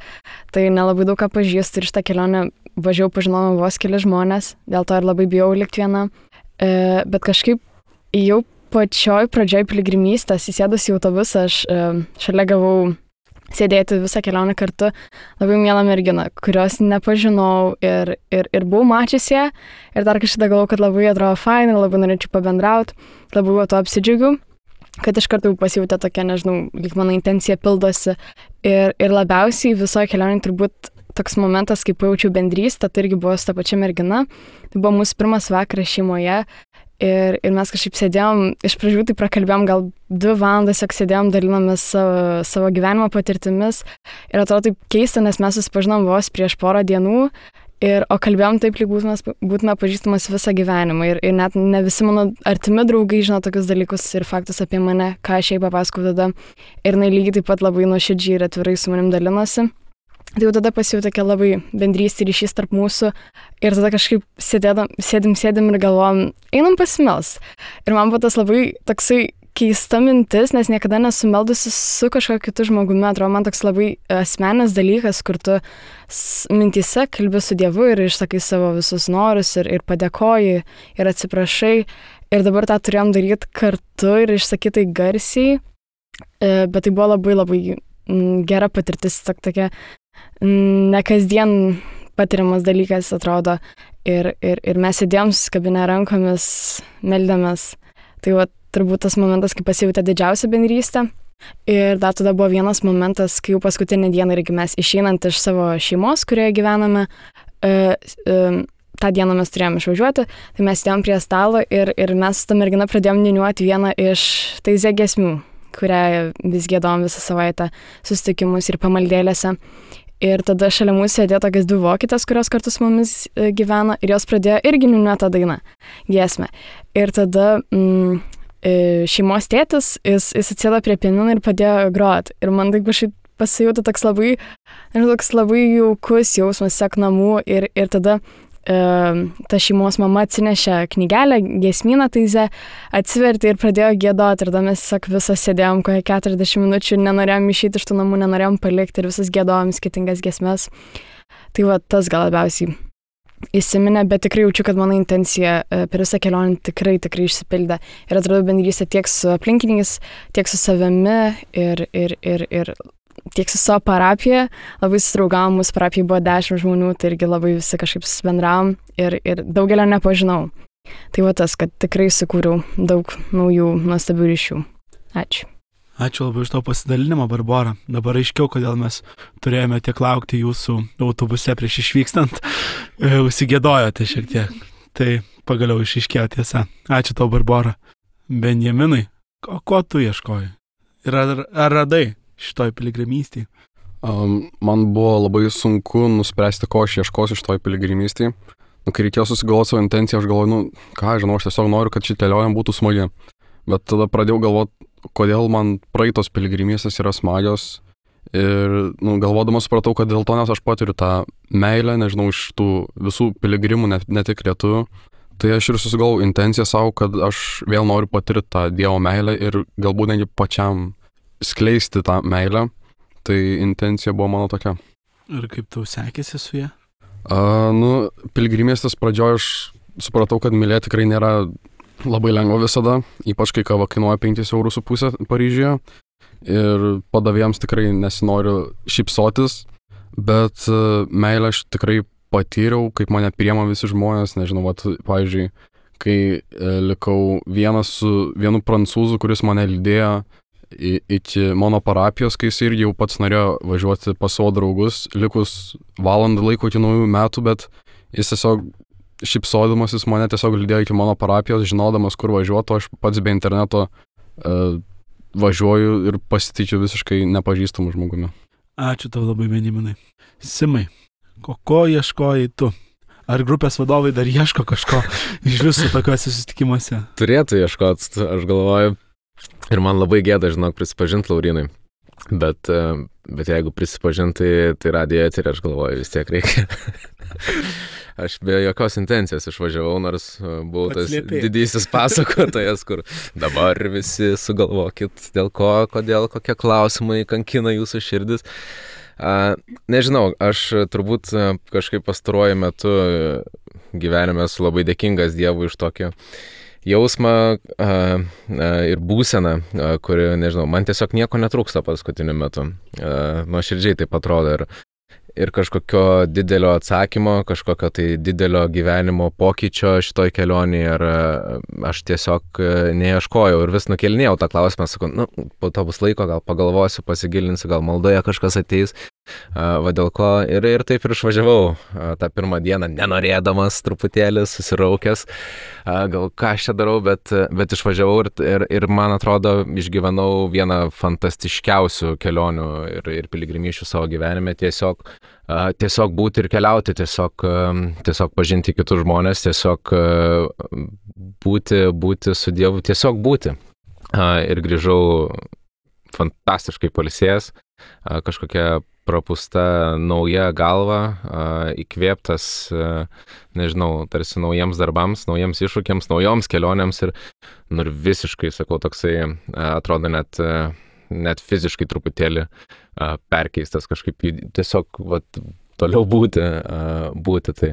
tai nelabai daug ką pažįstu ir šitą kelionę važiavau, pažinojau vos keli žmonės, dėl to ir labai bijau likti viena. Bet kažkaip jau pačioj pradžioj piligrimystės įsėdus į autobusą, aš šalia gavau sėdėti visą kelionę kartu labai mielą merginą, kurios nepažinau ir buvau mačiusi ją ir dar kažkada galvojau, kad labai atrodo fainai ir labai norėčiau pabendrauti, labai to apsidžiaugiu, kad iš karto pasijautė tokia, nežinau, lyg mano intencija pildosi ir labiausiai visoje kelionėje turbūt toks momentas, kai pajaučiau bendrystę, tai irgi buvo su ta pačia mergina, tai buvo mūsų pirmas vakaras šeimoje. Ir mes kažkaip sėdėjom, iš pradžių tai prakalbėjom gal 2 valandas, jog sėdėjom, dalinomės savo gyvenimo patirtimis. Ir atrodo taip keista, nes mes susipažinom vos prieš porą dienų, o kalbėjom taip, lyg būtume pažįstamas visą gyvenimą. Ir net ne visi mano artimi draugai žino tokius dalykus ir faktus apie mane, ką aš jai papasakau tada. Ir jinai lygiai taip pat labai nuoširdžiai ir atvirai su manim dalinosi. Tai jau tada pasijau tokia labai bendrystė ryšys tarp mūsų ir tada kažkaip sėdim ir galvojam, einam pasimels. Ir man buvo tas labai toksai keista mintis, nes niekada nesumeldusi su kažkokiu kitu žmogumi. Atrodo, man toks labai asmenis dalykas, kur tu mintyse kalbi su Dievu ir išsakai savo visus norus ir padėkoji ir atsiprašai. Ir dabar tą turėjom daryti kartu ir išsakytai garsiai. Bet tai buvo labai labai gera patirtis, tokia nekasdien patiriamas dalykas, atrodo. Ir mes sėdėjom susikabinę rankomis, meldėmės. Tai va, turbūt tas momentas, kai pasijautė didžiausia bendrystė. Ir dar tada buvo vienas momentas, kai jau paskutinį dieną irgi mes išeinant iš savo šeimos, kurioje gyvename, tą dieną mes turėjome išvažiuoti, tai mes sėdėjom prie stalo ir mes su ta mergina pradėjom niūniuoti vieną iš Taizė giesmių, kurią vis giedom visą savaitę susitikimus ir pamaldėlėse. Ir tada šalia mūsų sėdėjo tokias 2 vokietės, kurios kartu su mumis gyveno ir jos pradėjo irgi niūniuoti tą dainą, giesmę. Ir tada šeimos tėtis, jis atsėdo prie pianino ir padėjo groti. Ir man taip kažkaip pasijautė toks labai jaukus jausmas sek namų ir tada ta šeimos mama atsinešė knygelę, giesmyną Taizė, atsivertė ir pradėjo giedoti. Ir tada mes visos sėdėjom kokią 40 minučių ir nenorėjom išeiti iš tų namų, nenorėjom palikti ir visus giedojom skirtingas giesmes. Tai va, tas gal labiausiai įsiminė, bet tikrai jaučiu, kad mano intencija per visą kelionę tikrai išsipildė. Ir atradau bendrystę tiek su aplinkiniais, tiek su savimi ir tiek su savo parapija. Labai susidraugavom, mūsų parapijai buvo 10 žmonių, tai irgi labai visi kažkaip susibendravom ir daugelio nepažinau. Tai va tas, kad tikrai sukūriau daug naujų nuostabių ryšių. Ačiū. Ačiū labai už to pasidalinimą, Barbora. Dabar aiškiau, kodėl mes turėjome tiek laukti jūsų autobuse prieš išvykstant. Užsigėdojote šiek tiek. Tai pagaliau išaiškėjo tiesa. Ačiū tau, Barbora. Benjaminai, ko tu ieškoji? Ir ar radai šitoj piligrimystėje? Man buvo labai sunku nuspręsti, ko aš ieškosiu šitoj piligrimystėje. Kai reikėjo susigalvoti savo intenciją, aš galvoju, aš tiesiog noriu, kad ši kelionė būtų smagi. Bet tada pradėjau galvoti, kodėl man praeitos piligrimystės yra smagios. Ir galvodamas supratau, kad dėl to, nes aš patiriu tą meilę, nežinau, iš tų visų piligrimų, ne tik lietuvių. Tai aš ir susigalvojau intenciją savo, kad aš vėl noriu patirti tą Dievo meilę ir galbūt netgi pačiam skleisti tą meilę. Tai intencija buvo mano tokia. Ir kaip tau sekėsi su ja? Piligrimystės pradžioje aš supratau, kad mylėti tikrai nėra labai lengva visada, ypač kai kava kainuoja 5,5 eurų Paryžiuje. Ir padavėjams tikrai nesinori šypsotis, bet meilę aš tikrai patyriau, kaip mane priema visi žmonės. Nežinau, pavyzdžiui, kai likau vienas su vienu prancūzu, kuris mane lydėjo iki mano parapijos, kai jis irgi jau pats norėjo važiuoti pas savo draugus, likus valandą laiko iki naujų metų, bet jis tiesiog šypsodamas, jis mane tiesiog lydėjo iki mano parapijos, žinodamas, kur važiuotų, aš pats be interneto važiuoju ir pasitikiu visiškai nepažįstamų žmogumi. Ačiū tau labai, Benjaminai. Simai, ko ieškojai tu? Ar grupės vadovai dar ieško kažko iš visų tokiuose susitikimuose? Turėtų ieškoti, aš galvoju. Ir man labai gėda, žinok, prisipažinti, Laurinai. Bet jeigu prisipažinti, tai radijo eterį, aš galvoju, vis tiek reikia. Aš be jokios intencijos išvažiavau, nors buvau tas didysis pasakotojas, kur dabar visi sugalvokit, dėl ko, kodėl, kokie klausimai kankina jūsų širdis. Nežinau, aš turbūt kažkaip pastaruoju metu gyvenime esu labai dėkingas Dievui iš tokio jausmą ir būseną, kuri, nežinau, man tiesiog nieko netrūksta paskutiniu metu. Nuoširdžiai taip atrodo ir kažkokio didelio atsakymo, kažkokio tai didelio gyvenimo pokyčio šitoj kelionėje, ir aš tiesiog neieškojau ir vis nukelinėjau tą klausimą, sakau, po to bus laiko, gal pagalvosiu, pasigilinsiu, gal maldoje kažkas ateis, va dėl ko, ir taip ir išvažiavau tą pirmą dieną, nenorėdamas truputėlį, susiraukęs, gal ką aš čia darau, bet išvažiavau ir man atrodo, išgyvenau vieną fantastiškiausių kelionių ir piligrimysčių savo gyvenime, tiesiog būti ir keliauti, tiesiog pažinti kitus žmonės, tiesiog būti su Dievu, tiesiog būti. Ir grįžau fantastiškai pailsėjęs, kažkokia prapusta nauja galva, įkvėptas, nežinau, tarsi naujiems darbams, naujiems iššūkiams, naujoms kelionėms ir visiškai, sakau, toksai atrodo net fiziškai truputėlį perkeistas kažkaip tiesiog toliau būti, tai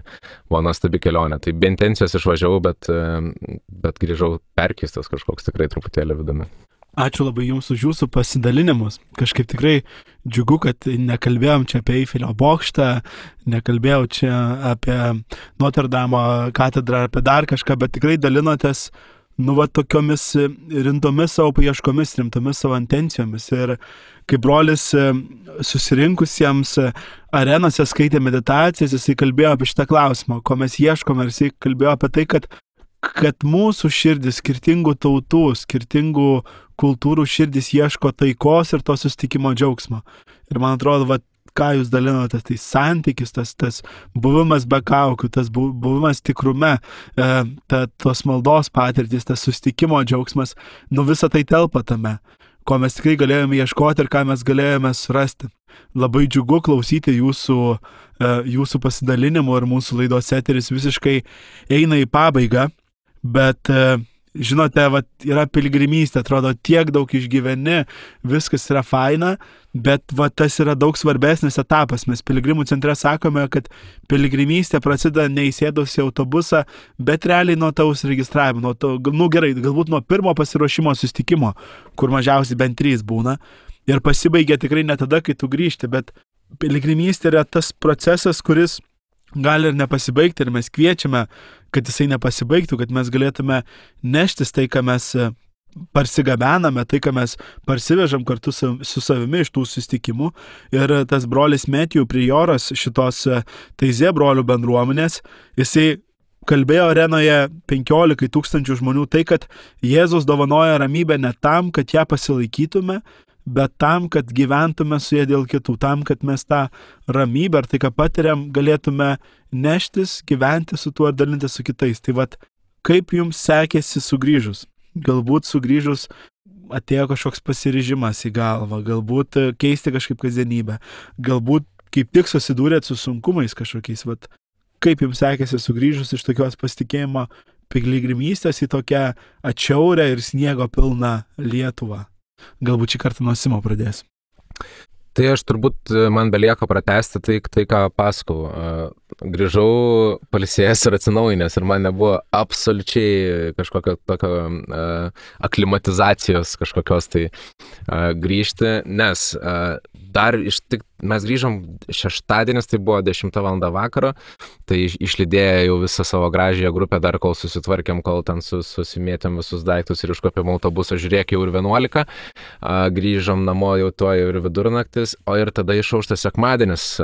buvo nuostabi kelionė. Tai be intencijos išvažiavau, bet grįžau perkeistas kažkoks tikrai truputėlį vidumi. Ačiū labai Jums už Jūsų pasidalinimus. Kažkaip tikrai džiugu, kad nekalbėjom čia apie Eifelio bokštą, nekalbėjau čia apie Notre Dame katedrą, apie dar kažką, bet tikrai dalinotės tokiomis rimtomis savo paieškomis, rimtomis savo intencijomis. Ir kaip brolis susirinkusiems arenose skaitė meditacijas, jisai kalbėjo apie šitą klausimą, ko mes ieškome, ir jisai kalbėjo apie tai, kad mūsų širdis, skirtingų tautų, skirtingų kultūrų širdis ieško taikos ir to susitikimo džiaugsmo. Ir man atrodo, ką jūs dalinate, tai santykis, tas buvimas be kaukių, tas buvimas tikrume, tos maldos patirtis, tas susitikimo džiaugsmas, visą tai telpa tame, ko mes tikrai galėjome ieškoti ir ką mes galėjome surasti. Labai džiugu klausyti jūsų pasidalinimų ir mūsų laidos eteris visiškai eina į pabaigą, bet žinote, yra piligrimystė, atrodo, tiek daug išgyveni, viskas yra faina, bet tas yra daug svarbesnis etapas. Mes piligrimų centre sakome, kad piligrimystė prasideda neįsėdus į autobusą, bet realiai nuo tavo užsiregistravimo, gerai, galbūt nuo pirmo pasiruošimo susitikimo, kur mažiausiai bent 3 būna, ir pasibaigia tikrai ne tada, kai tu grįžti, bet piligrimystė yra tas procesas, kuris gali ir nepasibaigti, ir mes kviečiame, kad jisai nepasibaigtų, kad mes galėtume neštis tai, ką mes parsigabename, tai, ką mes parsivežam kartu su savimi iš tų susitikimų. Ir tas brolis Metijų prioras šitos Taizė brolių bendruomenės, jisai kalbėjo arenoje 15 000 žmonių tai, kad Jėzus dovanoja ramybę ne tam, kad ją pasilaikytume, bet tam, kad gyventume su jie dėl kitų, tam, kad mes tą ramybę ar tai, ką patiriam, galėtume neštis, gyventi su tuo ir dalinti su kitais. Tai kaip jums sekėsi sugrįžus? Galbūt sugrįžus atėjo kažkoks pasiryžimas į galvą, galbūt keisti kažkaip kasdienybę, galbūt kaip tik susidūrėt su sunkumais kažkokiais. Kaip jums sekėsi sugrįžus iš tokios pasitikėjimo piligrimystės į tokią atšiaurę ir sniego pilną Lietuvą? Galbūt šį kartą nuo Simo pradėsiu. Tai aš turbūt, man belieka pratęsti tai ką pasakau. Grįžau pailsėjęs ir atsinaujinęs ir man nebuvo absoliučiai kažkokio tokio aklimatizacijos kažkokios tai grįžti, nes dar mes grįžom šeštadienis, tai buvo 10 val. Vakaro, tai išlydėję jau visą savo gražiąją grupę, dar kol susitvarkėm, kol ten susimėtėm visus daiktus ir iškopėm autobusą, žiūrėk, jau ir 11, grįžom namo jau tuo ir vidurnaktis, o ir tada išauštas sekmadienis,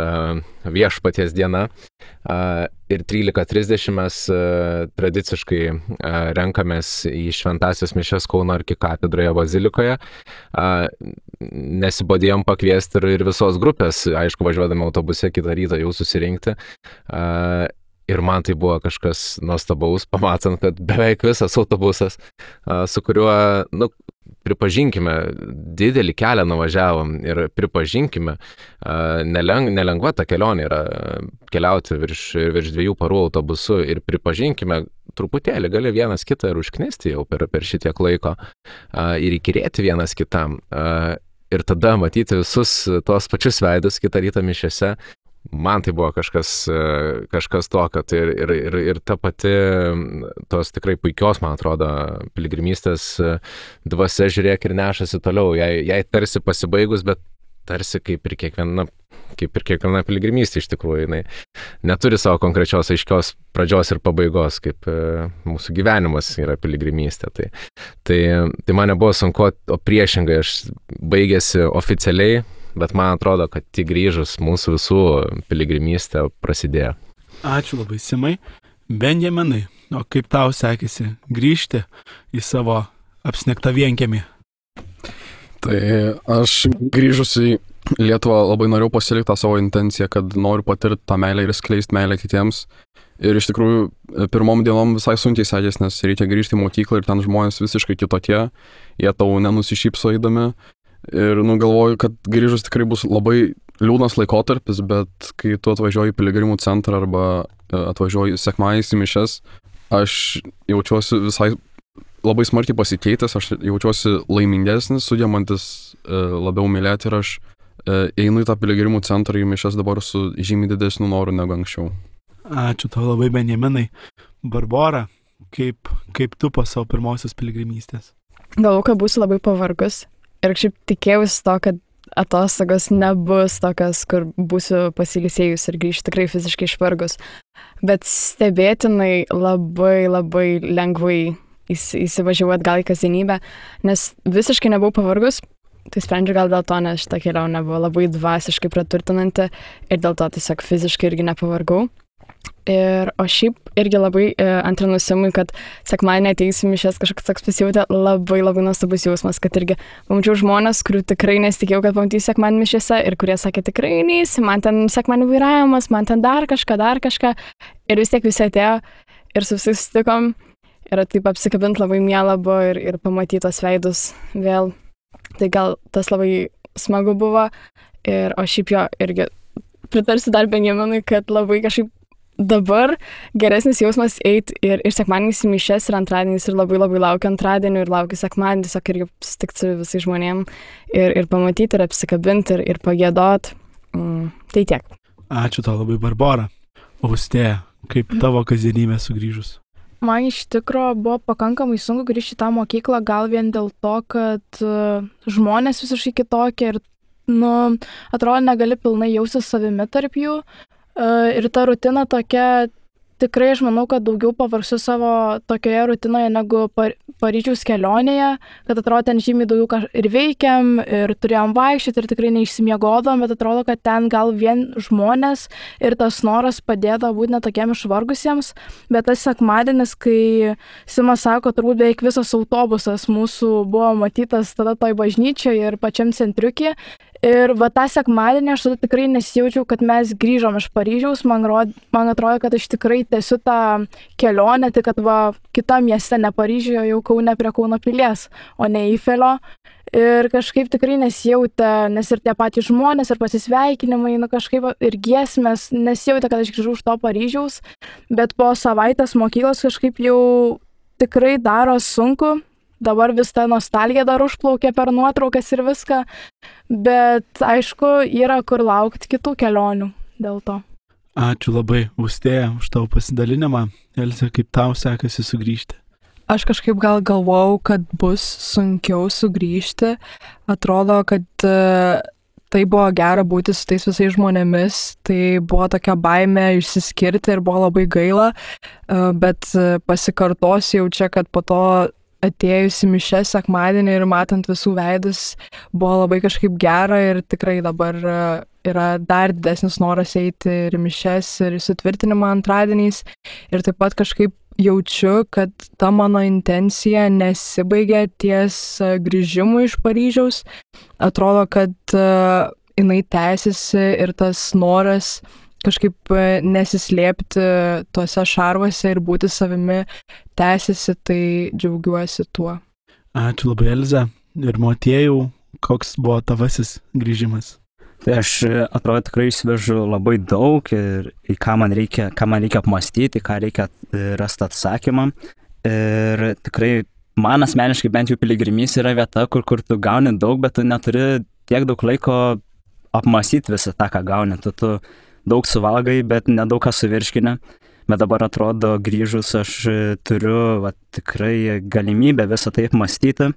viešpaties diena, ir 13:30 mes tradiciškai renkamės į šventąsias mišias Kauno arkikatedroje bazilikoje. Nesibodėjom pakviesti ir visos grupės, aišku, važiuodami autobuse kitą rytą jau susirinkti. Ir man tai buvo kažkas nuostabaus, pamatant, kad beveik visas autobusas, su kuriuo, pripažinkime, didelį kelią nuvažiavom ir pripažinkime, nelengva ta kelionė yra keliauti virš 2 parų autobusu ir pripažinkime, truputėlį gali vienas kitą ir užknisti jau per šitiek laiko ir įkyrėti vienas kitam. Ir tada matyti visus tos pačius veidus kitą rytą mišiose, man tai buvo kažkas tokio. Ir ta pati tos tikrai puikios, man atrodo, piligrimystės dvasia, žiūrėk, ir nešasi toliau. Jai tarsi pasibaigus, bet tarsi kaip ir kiekviena piligrimystė iš tikrųjų, jinai neturi savo konkrečios aiškios pradžios ir pabaigos, kaip mūsų gyvenimas yra piligrimystė. Tai man nebuvo sunku, o priešingai aš baigėsi oficialiai, bet man atrodo, kad tik grįžus mūsų visų piligrimystė prasidėjo. Ačiū labai, Simai. Benjaminai, o kaip tau sekėsi grįžti į savo apsnigtą vienkiemį? Tai aš grįžus į Lietuvą labai norėjau pasilikti tą savo intenciją, kad noriu patirti tą meilę ir skleisti meilę kitiems. Ir iš tikrųjų pirmom dienom visai sunkiai sekės, nes reikia grįžti į mokyklą ir ten žmonės visiškai kitokie, jie tau nenusišypso eidami. Ir galvoju, kad grįžus tikrai bus labai liūdnas laikotarpis, bet kai tu atvažiuoji į piligrimų centrą arba atvažiuoji sekmadieniais į mišias, aš jaučiuosi visai labai smarkiai pasikeitęs, aš jaučiuosi laimingesnis, sugebantis labiau mylėti ir aš einu į tą piligrimų centrą į mišias dabar su žymiai didesniu noru negu anksčiau. Ačiū tau labai, Benjaminai. Barbora, kaip tu po savo pirmosios piligrimystės? Galvoju, kad būsiu labai pavargus ir šiaip tikėjausi to, kad atostogos nebus tokios, kur būsiu pasilisėjus ir grįžti tikrai fiziškai išvargus. Bet stebėtinai labai lengvai įsivažiavau atgal į kasdienybę, nes visiškai nebuvau pavargus. Tai sprendžiu gal dėl to, nes šitą kelionę buvo labai dvasiškai praturtinanti ir dėl to tiesiog fiziškai irgi nepavargau. O šiaip irgi labai antrinu Simui, kad sekmadienį ateisiu mišias, kažkoks toks pasijautė labai nuostabus jausmas, kad irgi pamačiau žmonės, kurių tikrai nesitikėjau, kad pamatysiu sekmadienį mišiose ir kurie sakė tikrai neisi, man ten sekmadienį vairavimas, man ten dar kažką. Ir vis tiek visi atėjo ir su visais susitikom ir taip apsikabint labai miela buvo ir pamatyti tos veidus vėl. Tai gal tas labai smagu buvo. O šiaip jo irgi pritarsiu dar Benjaminui, kad labai kažkaip dabar geresnis jausmas eiti ir sekmadieniais į mišias ir antradieniais ir labai laukiu antradienį ir laukiu sekmadienį, tiesiog irgi susitikti su visais žmonėm ir pamatyti ir apsikabinti ir pagiedot. Tai tiek. Ačiū tau labai, Barbora. Austėja, kaip tavo kasdienybė sugrįžus? Man iš tikro buvo pakankamai sunku grįžti į tą mokyklą, gal vien dėl to, kad žmonės visiškai kitokie ir, atrodo, negali pilnai jausti savimi tarp jų. Ir ta rutina tokia, tikrai aš manau, kad daugiau pavargsiu savo tokioje rutinoje negu Paryžiaus kelionėje, kad atrodo ten žymiai daugiau ir veikiam, ir turėjom vaikščioti, ir tikrai neišsimiegodom, bet atrodo, kad ten gal vien žmonės ir tas noras padėdavo būti netokiem išvargusiems. Bet tas sekmadienis, kai Simas sako, turbūt beveik visas autobusas mūsų buvo matytas tada toj bažnyčioje ir pačiam centriukė. Ir tą sekmadienį aš tada tikrai nesijaučiau, kad mes grįžom iš Paryžiaus. Man atrodo, kad aš tikrai tęsiu tą kelionę, tik kad kitam mieste, ne Paryžiuje, jau Kaune prie Kauno pilies, o ne Eifelio. Ir kažkaip tikrai nesijautė, nes ir tie patys žmonės, ir pasisveikinimai, kažkaip ir giesmės, nesijautė, kad aš grįžau iš to Paryžiaus. Bet po savaitės mokyklos kažkaip jau tikrai daro sunku. Dabar vis ta nostalgija dar užplaukia per nuotraukas ir viską, bet aišku, yra kur laukti kitų kelionių dėl to. Ačiū labai, Austėja, už tavo pasidalinimą. Elze, kaip tau sekasi sugrįžti? Aš kažkaip gal galvojau, kad bus sunkiau sugrįžti. Atrodo, kad tai buvo gera būti su tais visais žmonėmis, tai buvo tokia baimė išsiskirti ir buvo labai gaila, bet pasikartosiu jau čia, kad po to atėjus į mišias sekmadienį ir matant visų veidus, buvo labai kažkaip gera ir tikrai dabar yra dar didesnis noras eiti ir į mišias ir į sutvirtinimą antradieniais. Ir taip pat kažkaip jaučiu, kad ta mano intencija nesibaigia ties grįžimu iš Paryžiaus. Atrodo, kad jinai tęsiasi ir tas noras kažkaip nesislėpti tuose šarvuose ir būti savimi tęsiasi, tai džiaugiuosi tuo. Ačiū labai, Elze. Ir Motiejau, koks buvo tavasis grįžimas? Tai aš, atrodo, tikrai išsivežu labai daug ir į ką man reikia apmąstyti, ką reikia rasti atsakymą. Ir tikrai man asmeniškai bent jau piligrimys yra vieta, kur tu gauni daug, bet tu neturi tiek daug laiko apmąstyti visą tą, ką gauni. Tu daug suvalgai, bet nedaug ką suvirškini. Bet dabar atrodo, grįžus aš turiu tikrai galimybę visą tai apmąstyti.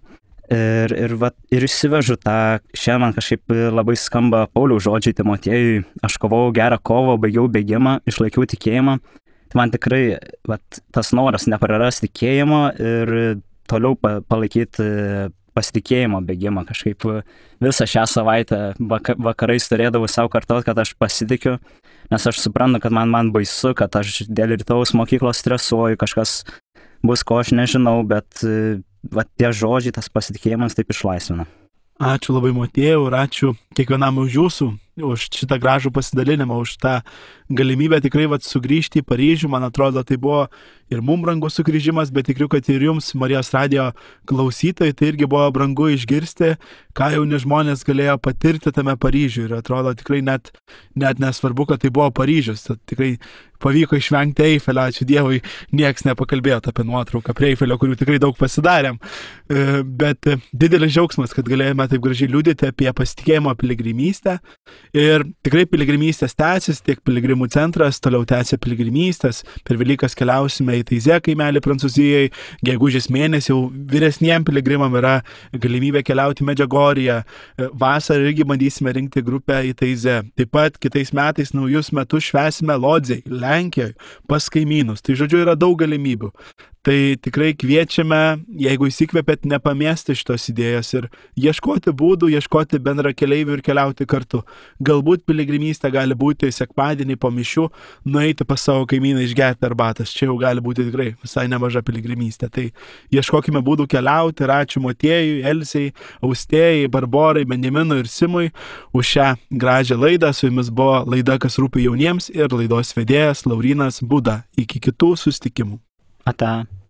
Ir išsivežu tą, šiandien man kažkaip labai skamba Pauliaus žodžiai Timotiejui. Aš kovojau gerą kovą, baigiau bėgimą, išlaikiau tikėjimą. Tai man tikrai tas noras neprarasti tikėjimo ir toliau palaikyti pasitikėjimo bėgimą. Kažkaip visą šią savaitę vakarais turėdavau savo kartot, kad aš pasitikiu, nes aš suprantu, kad man baisu, kad aš dėl rytaus mokyklos stresuoju, kažkas bus, ko aš nežinau, bet tie žodžiai, tas pasitikėjimas taip išlaisvina. Ačiū labai, Motiejau, ir ačiū kiekvienam už jūsų už šitą gražų pasidalinimą, už tą galimybę tikrai sugrįžti į Paryžių. Man atrodo, tai buvo ir mums brangus sugrįžimas, bet tikiu, kad ir jums, Marijos radijo klausytojai, tai irgi buvo brangu išgirsti, ką jauni žmonės galėjo patirti tame Paryžiuje. Ir atrodo tikrai net nesvarbu, kad tai buvo Paryžius. Tai tikrai pavyko išvengti Eifelio, ačiū Dievui, nieks nepakalbėjo apie nuotrauką prie Eifelio, kurių tikrai daug pasidarėm. Bet didelis džiaugsmas, kad galėjome taip gražiai liudyti apie pasitikėjimo piligrimystę. Ir tikrai piligrimystės tęsis, tiek piligrimų centras toliau tęsia piligrimystės. Per Velykas keliausime į Taizė kaimelį Prancūzijoje. Gegužės mėnesį jau vyresniem piligrimam yra galimybė keliauti į Medžiugorję. Vasarą irgi bandysime rinkti grupę į Taizė. Taip pat kitais metais naujus metus švęsime Lodzėj, Lenkijoje, pas kaimynus. Tai žodžiu yra daug galimybių. Tai tikrai kviečiame, jeigu įsikvėpėt, nepamesti šitos idėjos ir ieškoti būdų, ieškoti bendra keleivių ir keliauti kartu. Galbūt piligrimystė gali būti sekmadienį po mišių, nueiti pas savo kaimyną išgerti arbatas. Čia jau gali būti tikrai visai nemaža piligrimystė. Tai ieškokime būdų keliauti ir ačiū Motiejui, Elsei, Austėjai, Barborai, Benjaminui ir Simui už šią gražią laidą. Su jumis buvo laida Kas rūpi jauniems ir laidos vedėjas Laurynas Buda. Iki kitų susitikimų. Ata.